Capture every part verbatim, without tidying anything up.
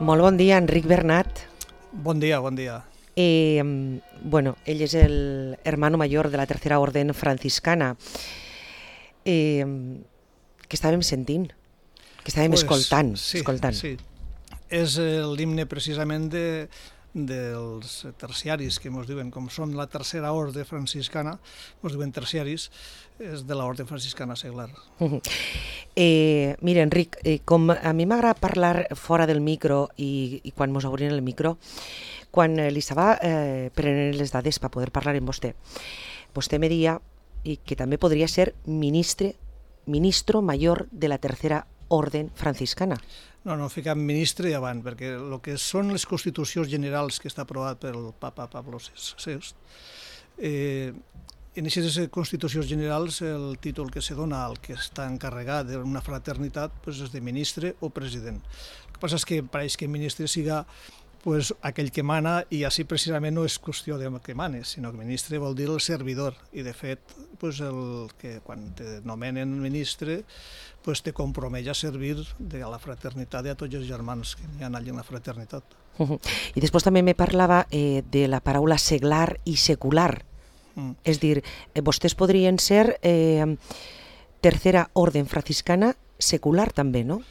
Molt bon dia, Enric Bernat. Bon dia, bon dia. Eh, bueno, ell és el hermano mayor de la Tercera Orden Franciscana. Eh, que estàvem sentint, que estàvem pues, escoltant. Sí, escoltant. sí. És l'himne precisament de, dels terciaris, que ens diuen, com són la Tercera Orde Franciscana, ens diuen terciaris, és de l'Orde Franciscana seglar. Uh -huh. eh, mira, Enric, eh, com a mi m'agrada parlar fora del micro i, i quan mos obrin el micro, quan eh, li estava eh, prenent les dades per poder parlar amb vostè, vostè me deia i que també podria ser ministre, ministro mayor de la Tercera Orden Franciscana. No, no, ficam ministre i avant, perquè el que són les constitucions generals que està aprovat pel papa Pablo sexto, eh, en aquestes constitucions generals el títol que se dona al que està encarregat d'una fraternitat pues, és de ministre o president. El que passa és que pareix que ministre siga pues, aquell que mana, i així precisament no és qüestió de que mane, sinó que ministre vol dir el servidor, i de fet pues, el que quan te nomenen ministre pues, te compromet a servir de la fraternitat i a tots els germans que hi ha allà en la fraternitat. Uh -huh. I després també me parlava eh, de la paraula seglar i secular. Mm. És dir, eh, vostès podrien ser eh, Tercera Orden Franciscana secular també, no?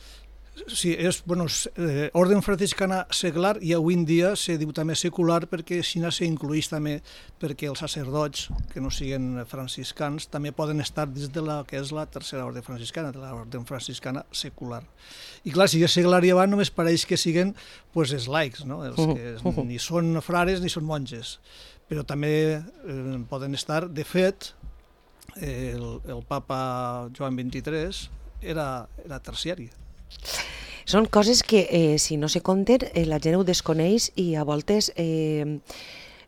Sí, és, bueno, eh, Orden Franciscana seglar, i avui en dia se diu també secular perquè així s'incluïx també perquè els sacerdots que no siguin franciscans també poden estar dins de la que és la Tercera Orden Franciscana, de l'Orden Franciscana secular. I clar, si és seglar i avant només pareix que siguen pues, els laics, no? Els que uh -huh. ni són frares ni són monges, però també eh, poden estar, de fet, eh, el, el papa Joan vint-i-tres era, era terciari. Són coses que, eh, si no se compten, eh, la gent ho desconeix i a voltes eh,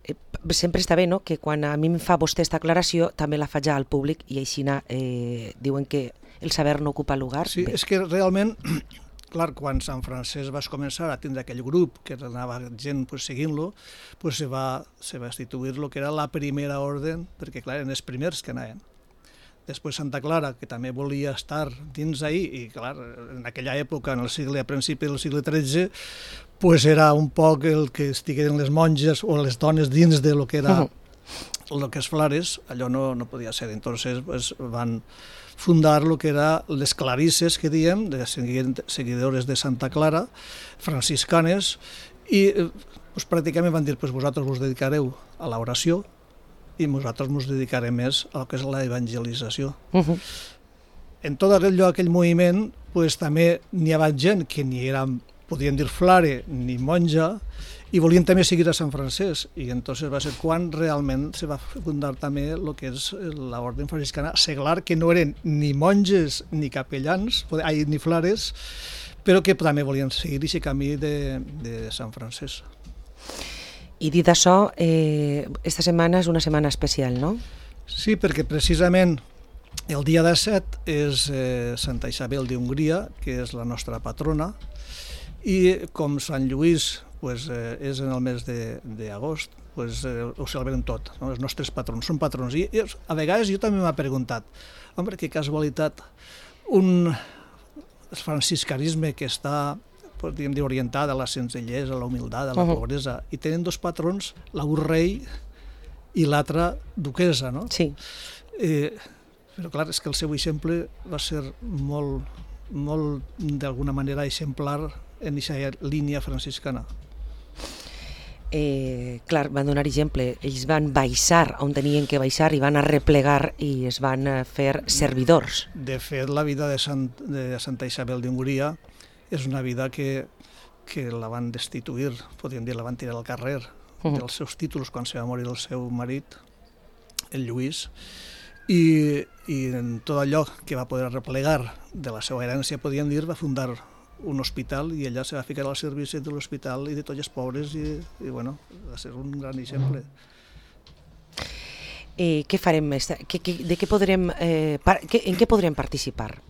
eh, sempre està bé, no?, que quan a mi em fa vostè aquesta aclaració també la faig al públic i així eh, diuen que el saber no ocupa lugar. Sí, bé. És que realment, clar, quan Sant Francesc va començar a tindre aquell grup que anava gent pues, seguint-lo, pues, se, va, se va instituir el que era la primera orden, perquè clar, eren els primers que anaven. Després Santa Clara, que també volia estar dins ahir, i clar, en aquella època, en el segle, a principi del segle tretze, pues era un poc el que estigueren les monges o les dones dins de lo que era uh -huh. lo que és Flares, allò no, no podia ser. Entonces pues, van fundar lo que era les clarisses, que diem, de seguidores de Santa Clara, franciscanes, i pues, pràcticament van dir, pues, vosaltres vos dedicareu a l'oració, i nosaltres ens dedicarem més al que és la evangelització. Uh -huh. En tot allò, aquell moviment, pues, també n'hi havia gent que ni eren, podien dir flare ni monja, i volien també seguir a Sant Francesc, i entonces va ser quan realment se va fundar també el que és l'Orden Franciscana seglar, que no eren ni monges ni capellans, ai, ni flares, però que també volien seguir aquest camí de, de Sant Francesc. I dit això, eh, esta setmana és una setmana especial, no? Sí, perquè precisament el dia disset és eh, Santa Isabel d'Hongria, que és la nostra patrona, i com Sant Lluís pues, eh, és en el mes d'agost, pues, eh, ho celebrem tot, no? Els nostres patrons són patrons. I, i a vegades jo també m'ha preguntat, home, que casualitat, un franciscanisme que està podríem dir, orientada a la senzillesa, a la humilitat, a la uh-huh. pobresa, i tenen dos patrons, l'un rei i l'altre duquesa, no? Sí. Eh, però clar, és que el seu exemple va ser molt, molt d'alguna manera exemplar en aquesta línia franciscana. Eh, clar, van donar exemple, ells van baixar on tenien que baixar i van arreplegar i es van fer servidors. De fet, la vida de, Sant, de Santa Isabel d'Hongria és una vida que, que la van destituir, podríem dir, la van tirar al carrer uh -huh. dels seus títols quan se va morir el seu marit, el Lluís, i, i en tot allò que va poder replegar de la seva herència, podríem dir, va fundar un hospital i ella se va ficar al servici de l'hospital i de tots els pobres i, i bueno, va ser un gran exemple. Eh, què farem més? Que, que, de què podrem, eh, par, que, en què podrem participar?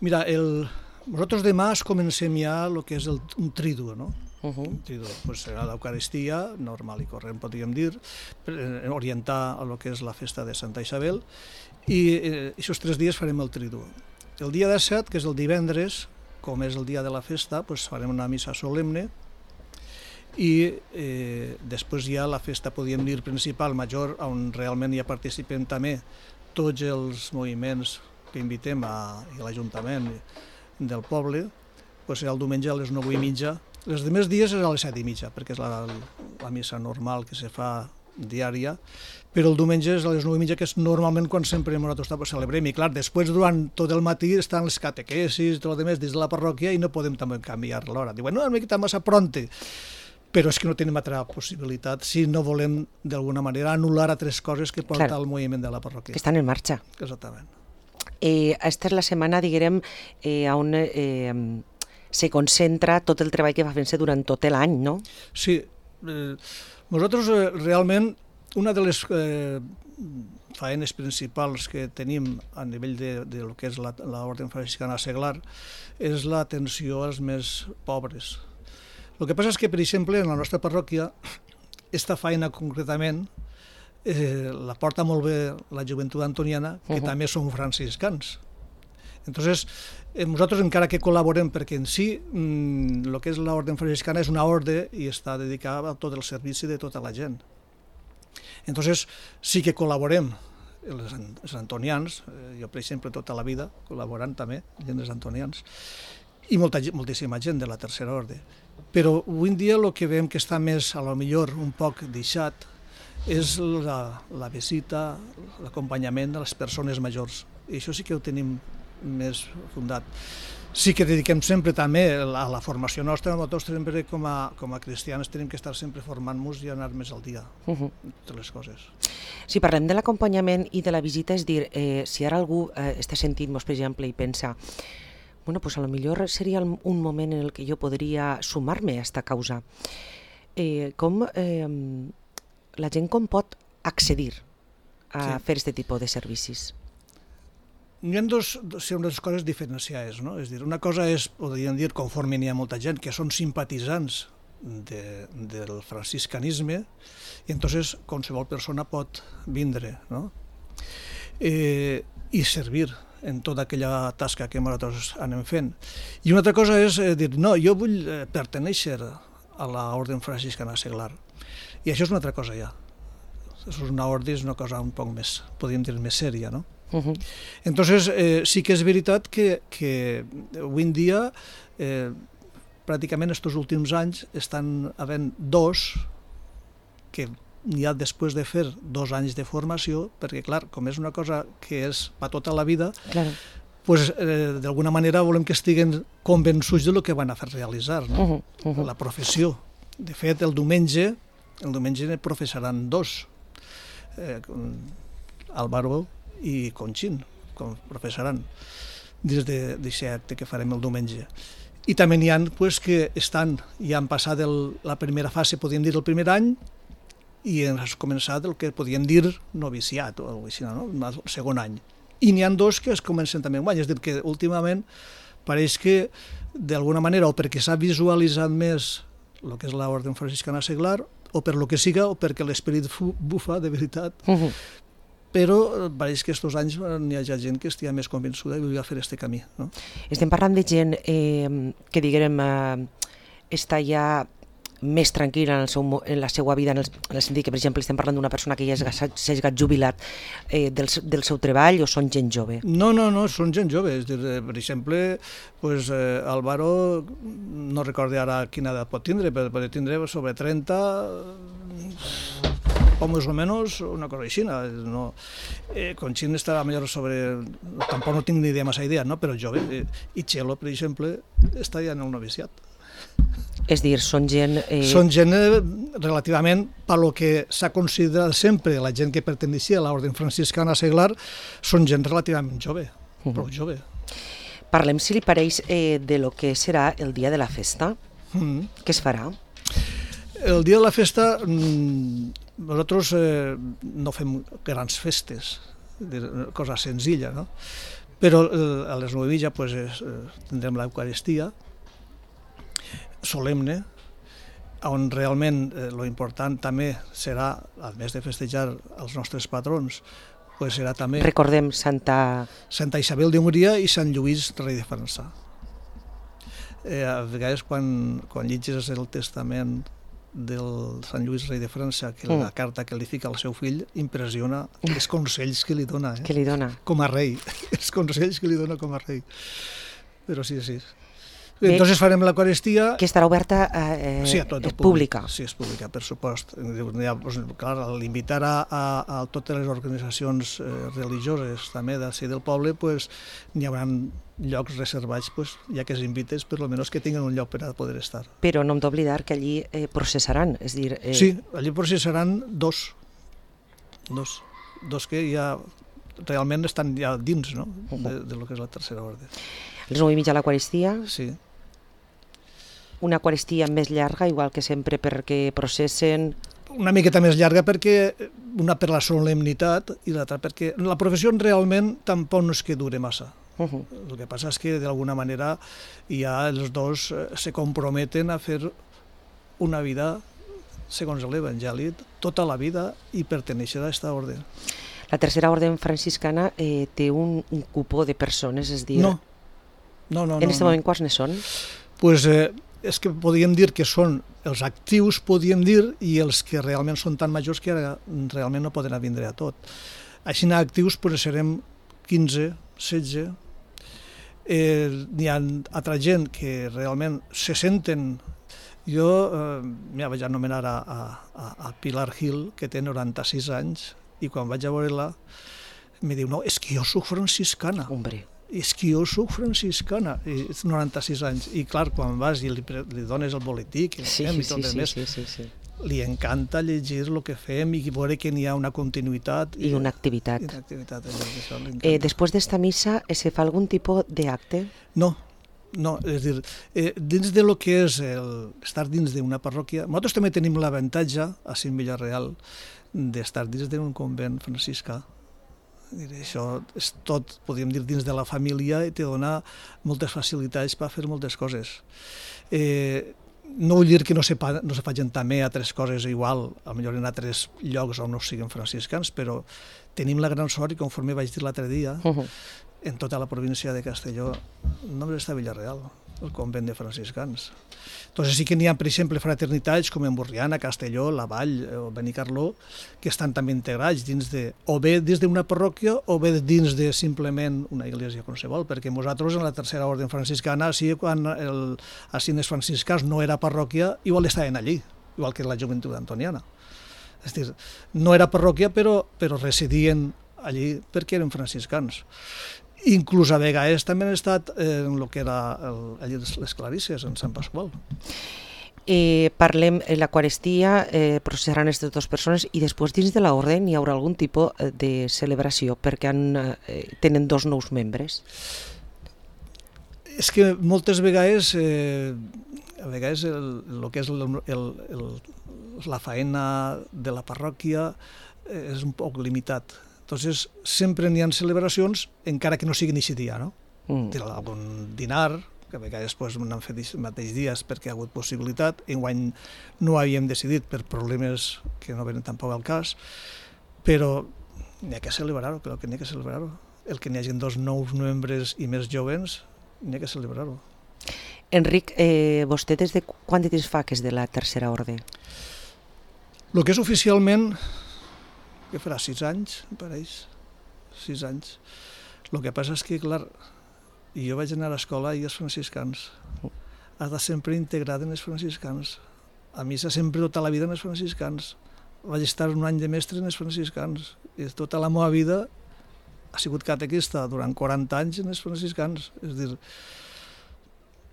Mira, el... Nosaltres demà comencem ja el que és el, un triduo, no? Uh-huh. Un triduo, pues serà l'Eucaristia, normal i corrent, podríem dir, orientar a lo que és la festa de Santa Isabel, i eh, aquests tres dies farem el triduo. El dia disset, que és el divendres, com és el dia de la festa, pues farem una missa solemne, i eh, després hi ha la festa, podríem dir, principal, major, on realment hi participen també tots els moviments que invitem a, a l'Ajuntament del poble, pues serà el diumenge a les nou i mitja. Els demés dies és a les set i mitja, perquè és la, la missa normal que se fa diària, però el diumenge és a les nou i mitja, que és normalment quan sempre nosaltres celebrem. I clar, després durant tot el matí estan les catequesis i tot el demés dins de la parròquia i no podem també canviar l'hora. Diuen, no, una miqueta massa pronte, però és que no tenim altra possibilitat si no volem d'alguna manera anul·lar altres coses que porta el moviment de la parròquia. Que estan en marxa. Exactament. Eh, esta és la setmana, diguem, eh, on eh, se concentra tot el treball que va fent-se durant tot l'any, no? Sí. Eh, nosaltres eh, realment una de les eh, faenes principals que tenim a nivell de, de lo que és l'Orde Franciscana Seglar és l'atenció als més pobres. El que passa és que, per exemple, en la nostra parròquia, esta feina concretament eh, la porta molt bé la joventut antoniana, que uh-huh. també són franciscans. Entonces, eh, nosaltres encara que col·laborem, perquè en si el mm, que és l'Orde Franciscana és una orde i està dedicada a tot el servici de tota la gent. Entonces, sí que col·laborem els, els antonians, eh, jo per exemple tota la vida col·laborant també, gent dels antonians, i molta, moltíssima gent de la tercera orde. Però avui en dia el que veiem que està més, a lo millor, un poc deixat, és la, la visita, l'acompanyament de les persones majors. I això sí que ho tenim més fundat. Sí que dediquem sempre també a la formació nostra, nosaltres sempre com a, com a cristians tenim que estar sempre formant-nos i anar més al dia, uh-huh. de les coses. Si parlem de l'acompanyament i de la visita, és dir, eh, si ara algú eh, està sentint-nos, per exemple, i pensa bueno, pues a lo millor seria un moment en el que jo podria sumar-me a aquesta causa. Eh, com eh, la gent com pot accedir a sí. fer aquest tipus de servicis? Hi ha dos, dos coses diferenciades, no? És dir, una cosa és, podríem dir, conforme n'hi ha molta gent, que són simpatitzants de, del franciscanisme, i entonces qualsevol persona pot vindre, no? Eh, i servir en tota aquella tasca que nosaltres anem fent. I una altra cosa és eh, dir, no, jo vull eh, pertenèixer a l'Orde Franciscana Seglar. I això és una altra cosa ja. És una orde, és una cosa un poc més, podríem dir, més sèria, no? Uh-huh. Entonces, eh, sí que és veritat que, que avui en dia, eh, pràcticament estos últims anys, estan havent dos que n'hi ha després de fer dos anys de formació, perquè, clar, com és una cosa que és per tota la vida, claro. pues, eh, d'alguna manera volem que estiguen convençuts del que van a fer realitzar, no? uh-huh, uh-huh. la professió. De fet, el diumenge, el diumenge ne professaran dos, eh, Álvaro i Conxín, com professaran, des d'aquest acte que farem el diumenge. I també n'hi ha pues, que estan, ja han passat el, la primera fase, podríem dir, el primer any, i has començat el que podíem dir noviciat, o així, no? El segon any. I n'hi ha dos que es comencen també un any, és a dir, que últimament pareix que, d'alguna manera, o perquè s'ha visualitzat més el que és l'Orde Franciscana Seglar, o per lo que siga, o perquè l'esperit bufa, de veritat, uh-huh. però pareix que aquests anys n'hi ha gent que estigui més convençuda i volia fer aquest camí. No? Estem parlant de gent eh, que, diguem, eh, està ja més tranquil·la en, el seu, en la seva vida, en el, en el sentit que, per exemple, estem parlant d'una persona que ja s'ha jubilat eh, del, del seu treball, o són gent jove? No, no, no, són gent jove. És dir, per exemple, pues, eh, Álvaro, no recordo ara quina edat pot tindre, però pot tindre sobre trenta, o més o menys una cosa així. No? Eh, Conxín estarà millor sobre... Tampoc no tinc ni idea, massa idea, no? Però jove. Eh, I Txelo, per exemple, està ja en el noviciat. És dir, són gent... Eh... Són gent eh, relativament, per lo que s'ha considerat sempre la gent que perteneixia a l'Orde Franciscana Seglar, són gent relativament jove, uh-huh. prou jove. Parlem, si li pareix, eh, de lo que serà el dia de la festa. Uh-huh. Què es farà? El dia de la festa, nosaltres eh, no fem grans festes, cosa senzilla, no? Però eh, a les nou i mitja pues, eh, tindrem l'Eucaristia, solemne, on realment eh, lo important també serà, a més de festejar els nostres patrons, pues serà també... Recordem Santa... Santa Isabel d'Hongria i Sant Lluís, rei de França. Eh, a vegades, quan, quan llegis el Testament del Sant Lluís Rei de França, que Mm. la carta que li fica al seu fill, impressiona els consells que li dona, eh? Que li dona. Com a rei, els consells que li dona com a rei. Però sí, sí. Bé, Entonces farem l'Eucaristia... Que estarà oberta, eh, Sí, a tot el és pública. Sí, és pública, per supost. Ja, doncs, clar, al invitar a, a, a totes les organitzacions eh, religioses també d'ací del poble, pues, n'hi haurà llocs reservats, pues, ja que s'invites, per almenys que tinguin un lloc per a poder estar. Però no hem d'oblidar que allí eh, processaran, és dir... Eh... Sí, allí processaran dos, dos, dos que ja realment estan ja dins, no?, de, de lo que és la tercera ordre. A les nou i mitja l'Eucaristia, Sí. una Eucaristia més llarga, igual que sempre, perquè processen... Una miqueta més llarga perquè una per la solemnitat i l'altra perquè la professió realment tampoc no és que dure massa. Uh -huh. El que passa és que d'alguna manera ja els dos eh, se comprometen a fer una vida segons l'Evangeli, tota la vida, i perteneixer a aquesta ordre. La tercera orde franciscana eh, té un, un cupó de persones, és dir... No, no, no. En aquest no, moment, quants ne són? Pues, eh, és que podríem dir que són els actius, podríem dir, i els que realment són tan majors que ara realment no poden vindre a tot. Així, actius, pues, serem quinze, setze. Eh, hi ha altra gent que realment se senten... Jo eh, ja vaig anomenar a, a, a Pilar Gil, que té noranta-sis anys, i quan vaig a veure-la em diu, no, és que jo soc franciscana. Hombre. És que jo soc franciscana, i noranta-sis anys, i clar, quan vas i li, li dones el boletí que Sí, fem sí, i tot sí, el sí, més, sí, sí, sí. li encanta llegir el que fem i veure que n'hi ha una continuïtat I una activitat. I una activitat això li Eh, encanta. després d'esta missa, eh, se fa algun tipus d'acte? No, no, és a dir, eh, dins de lo que és el, estar dins d'una parròquia, nosaltres també tenim l'avantatge, a Cint Villarreal, d'estar dins d'un convent franciscà. Això és tot, podríem dir, dins de la família, i te dona moltes facilitats per fer moltes coses. Eh, no vull dir que no se, no se facin també altres coses igual, potser en altres llocs on no siguin franciscans, però tenim la gran sort, i conforme vaig dir l'altre dia, Uh -huh. en tota la província de Castelló només està Villarreal, el convent de franciscans. Entonces sí que n'hi ha, per exemple, fraternitats com en Borriana, Castelló, La Vall o Benicarló, que estan també integrats dins de, o bé dins d'una parròquia o bé dins de simplement una església qualsevol, perquè nosaltres en la tercera ordre franciscana, sí, quan el assines franciscans no era parròquia, igual estaven allí, igual que la joventut antoniana. És dir, no era parròquia, però, però residien allí perquè eren franciscans. Inclús a vegades també han estat en el que era el, allí les Clarisses, en Sant Pasqual. Eh, parlem de l'Eucaristia, eh, processaran aquestes dues persones, i després dins de l'ordre hi haurà algun tipus de celebració perquè han, eh, tenen dos nous membres. És que moltes vegades, eh, a vegades el, el que és el, el, el, la faena de la parròquia eh, és un poc limitat. Entonces, sempre n'hi ha celebracions, encara que no siguin aquest dia, no? Mm. Té algun dinar, que a vegades pues, n'han fet els mateixos dies perquè ha hagut possibilitat. Enguany no havíem decidit per problemes que no venen tampoc al cas, però n'hi ha que celebrar-ho, però que n'hi ha que celebrar-ho. El que n'hi hagi dos nous membres i més joves, n'hi ha que celebrar-ho. Enric, eh, vostè des de quan de temps fa que és de la tercera ordre? El que és oficialment, que farà sis anys, em pareix, sis anys. El que passa és que, clar, jo vaig anar a l'escola i els franciscans. Has de sempre integrat en els franciscans. A missa sempre tota la vida en els franciscans. Vaig estar un any de mestre en els franciscans. I tota la meva vida ha sigut catequista durant quaranta anys en els franciscans. És a dir,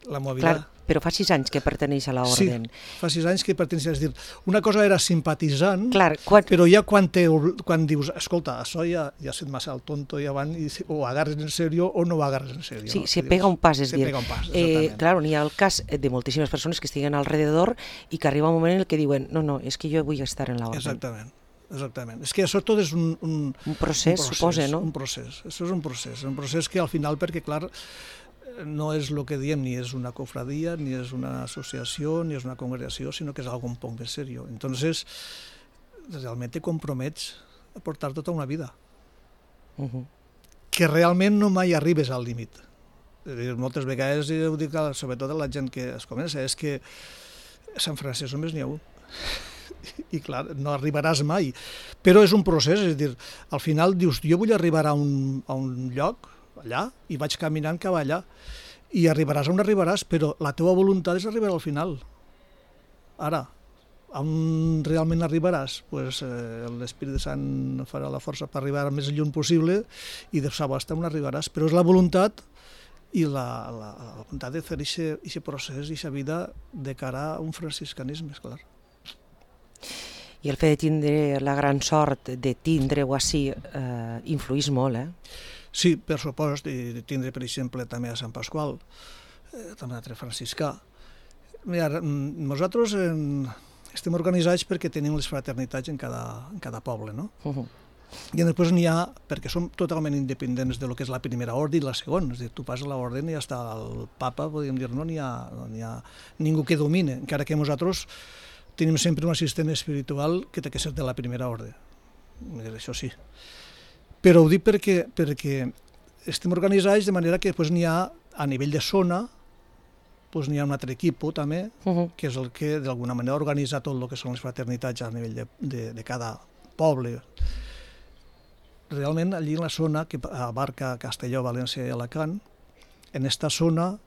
la meva vida... Clar, però fa sis anys que perteneix a l'ordre. Sí, fa sis anys que perteneix. És a dir, una cosa era simpatitzant, Clar, quan... però ja quan, te, quan dius, escolta, això ja, ja set massa al tonto i avant, i o agarres en sèrio o no ho agarres en sèrio. Sí, no? se pega un pas, és se dir, pega un pas, eh, claro, n'hi ha el cas de moltíssimes persones que estiguen alrededor i que arriba un moment en el que diuen, no, no, és que jo vull estar en l'ordre. Exactament, exactament. És que això tot és un... Un, un procés, un procés, suposa, no? Un procés, això és un procés, un procés que al final, perquè clar, no és el que diem, ni és una cofradia, ni és una associació, ni és una congregació, sinó que és algo un poc més seriós. Entonces, realment te compromets a portar tota una vida. Uh -huh. Que realment no mai arribes al límit. Moltes vegades, ho dic sobretot a la gent que es comença, és que a Sant Francesc només n'hi ha un. I clar, no arribaràs mai. Però és un procés, és a dir, al final dius, jo vull arribar a un, a un lloc, allà, i vaig caminant cap allà, i arribaràs on arribaràs, però la teva voluntat és arribar al final. Ara, on realment arribaràs? Pues, eh, l'Espírit Sant farà la força per arribar al més lluny possible, i de sabasta on arribaràs, però és la voluntat i la, la, la voluntat de fer aquest procés, aquesta vida de cara a un franciscanisme, és clar. I el fet de tindre la gran sort de tindre-ho així eh, influís molt, eh? Sí, per supost, i de tindre, per exemple, també a Sant Pasqual, eh, també altre franciscà. Mira, nosaltres en, estem organitzats perquè tenim les fraternitats en cada, en cada poble, no? Uh -huh. I després n'hi ha, perquè som totalment independents de lo que és la primera ordre i la segona, és a dir, tu passes l'ordre i ja està el papa, podríem dir, no n'hi ha, no n'hi ha ningú que domine, encara que nosaltres tenim sempre un assistent espiritual que té que ser de la primera ordre, això sí. Però ho dic perquè, perquè estem organitzats de manera que n'hi ha, a nivell de zona, n'hi ha un altre equip també, uh -huh. que és el que d'alguna manera organitza tot el que són les fraternitats a nivell de, de, de cada poble. Realment, allí en la zona que abarca Castelló, València i Alacant, en esta zona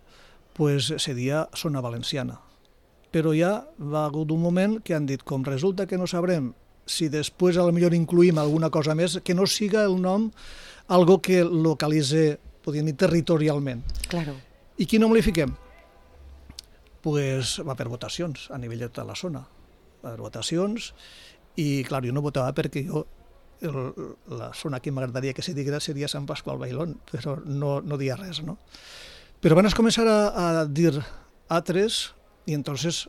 pues, seria zona valenciana. Però ja va hagut un moment que han dit, com resulta que no sabrem si després potser incluïm alguna cosa més, que no siga el nom algo que localitze, podríem dir, territorialment. Claro. I quin nom li fiquem? Pues va per votacions a nivell de tota la zona. Va per votacions i, clar, jo no votava perquè jo el, la zona que m'agradaria que se diguera seria Sant Pasqual Bailón, però no, no dia res, no? Però van començar a, a dir altres i entonces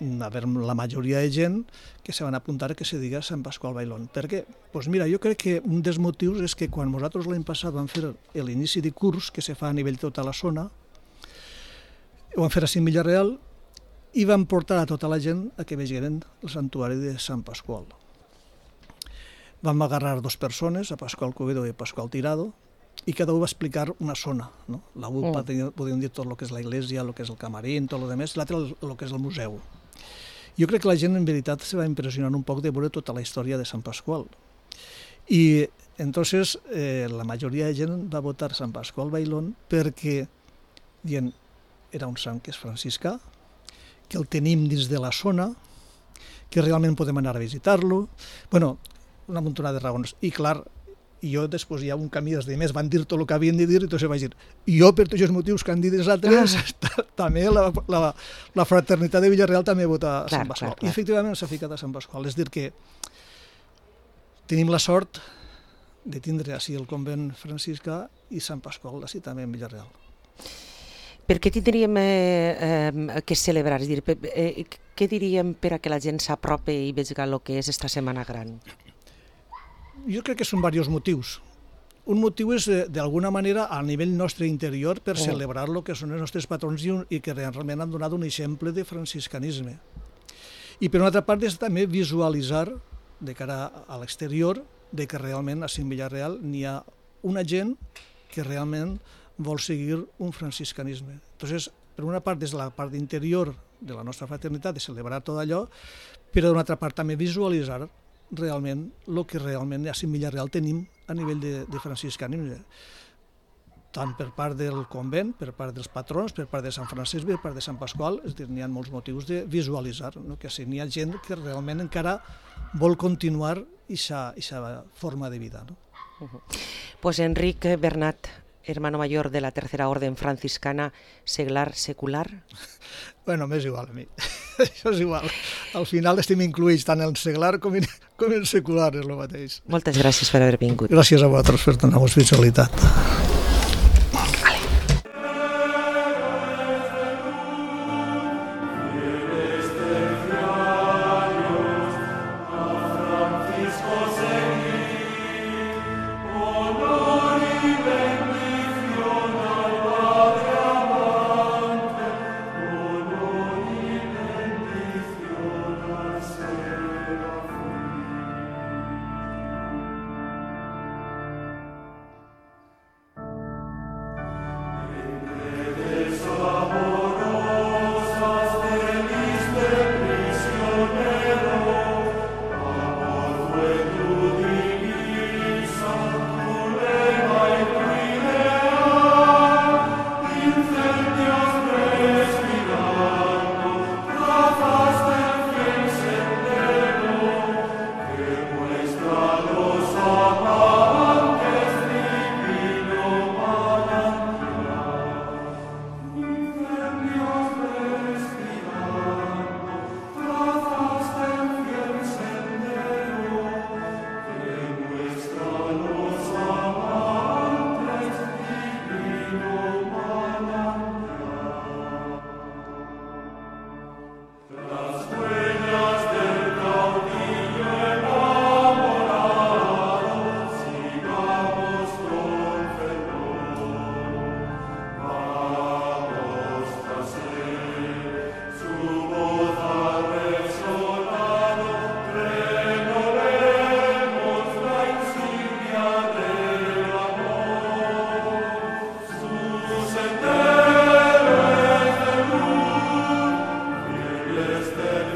a ver, la majoria de gent que se van apuntar que se diga Sant Pasqual Bailón. Per què? Pues mira, jo crec que un dels motius és que quan nosaltres l'any passat vam fer l'inici de curs que se fa a nivell de tota la zona, ho vam fer a Villarreal i vam portar a tota la gent a que vegeren el santuari de Sant Pasqual. Vam agarrar dos persones, a Pasqual Covedo i a Pasqual Tirado, i cada un va explicar una zona, no? La U P A, mm. podríem dir tot el que és la iglesia, el que és el camarín, tot el que més, l'altre el que és el museu. Jo crec que la gent en veritat se va impressionar un poc de veure tota la història de Sant Pasqual. I entonces eh, la majoria de gent va votar Sant Pasqual Bailón perquè dient, era un sant que és franciscà, que el tenim dins de la zona, que realment podem anar a visitar-lo. Bueno, una muntona de raons. I clar, jo després hi ha un camí dels demés, van dir tot el que havien de dir, i entonces vaig dir, jo per tots els motius que han dit els altres, ah. també la, la, la fraternitat de Villarreal també vota a clar, Sant Pasqual. Clar, clar. I efectivament s'ha ficat a Sant Pasqual. És dir que tenim la sort de tindre així el convent franciscà i Sant Pasqual així també en Villarreal. Per què tindríem eh, eh, que celebrar? És dir, eh, què diríem per a que la gent s'apropi i vegi el que és esta Setmana Gran? Jo crec que són diversos motius. Un motiu és, d'alguna manera, a nivell nostre interior, per oh. celebrar el que són els nostres patrons i que realment han donat un exemple de franciscanisme. I per una altra part és també visualitzar, de cara a l'exterior, de que realment a Cim Villarreal n'hi ha una gent que realment vol seguir un franciscanisme. Entonces, per una part és la part interior de la nostra fraternitat, de celebrar tot allò, però d'una altra part també visualitzar realment el que realment a Cim Villarreal tenim a nivell de, de franciscanisme, tant per part del convent, per part dels patrons, per part de Sant Francesc, per part de Sant Pasqual, és a dir, n'hi ha molts motius de visualitzar, no? Que si n'hi ha gent que realment encara vol continuar aquesta forma de vida. ¿No? Uh-huh. Pues Enric Bernat, hermano mayor de la Tercera Orden Franciscana, seglar, secular? Bueno, m'és igual a mi. Això és igual. Al final estem incluïts tant en seglar com en, com en secular, és el mateix. Moltes gràcies per haver vingut. Gràcies a vosaltres per donar-nos visualitat. Este